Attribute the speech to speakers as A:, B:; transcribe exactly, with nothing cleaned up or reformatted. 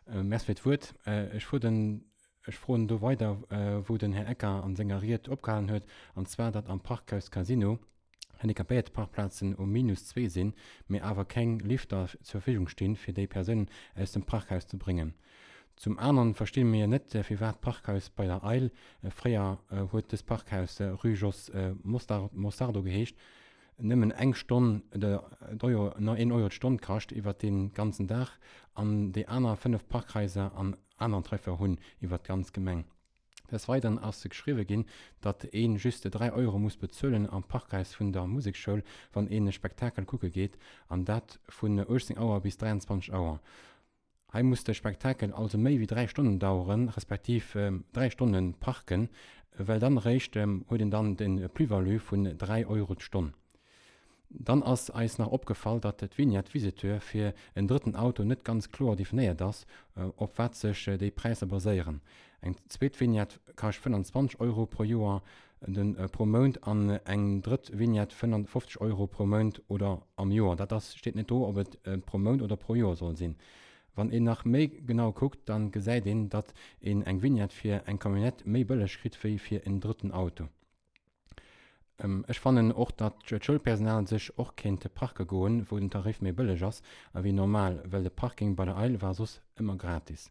A: Merci fir d'Wuert. Ech fuer den, ech froen do weider, wou den Här Ecker an senger Ried opgehalen huet, an zwar datt am Parkhaus Casino Handicapéierteparkplazen um Minus zwee sinn, mee awer keng Lifter zur Verfügung stinn, fir déi Persounen aus dem Parkhaus ze bréngen. Zum aneren versti mir net, firwat d'Parkhaus bei der Eil, fréier huet dëst Parkhaus Rue Jos Mostardo geheescht, nëmmen eng Stonn, Euro, een Euro d'Stonn kascht iwwert dee ganzen Dag an déi aner fënnef Parkhaiser an aneren Tariffer hunn iwwert d'ganz Gemeng. Des Weideren ass geschriwwe ginn, datt ee just dräi Euro muss bezuelen am Parkhaus vun der Musekschoul, wann een e Spektakel kucke geet, an dat vun uechtzéng Auer bis dräianzwanzeg Auer. Hei muss de Spektakel also méi wéi dräi Stonnen daueren, respektiv dräi Stonne parken, well dann eréischt huet een dann de Plus-value vun dräi Euro d'Stonn. Dann ass eis nach opgefall, datt d'Vignette Visiteur fir en drëtten Auto net ganz kloer definéiert ass, op wat sech déi Präisser baséieren. Eng zweet Vignette kascht fënnanzwanzeg Euro pro Joer, pro Mount an eng drëtt Vignette fënnanfofzeg Euro pro Mount oder am Joer. Dat ass, steet net do, ob et pro Mount oder pro Joer soll sinn. Wann een nach méi genau kuckt, dann gesäit een, datt een eng Vignette fir eng Camionnette méi bëlleg kritt wéi fir en drëtten Auto. Ech fannen och, datt d'Schoulpersonal sech och kéint parke goen, wou den Tarif méi bëlleg ass ewéi normal, well de Parking bei der Eil war soss ëmmer gratis.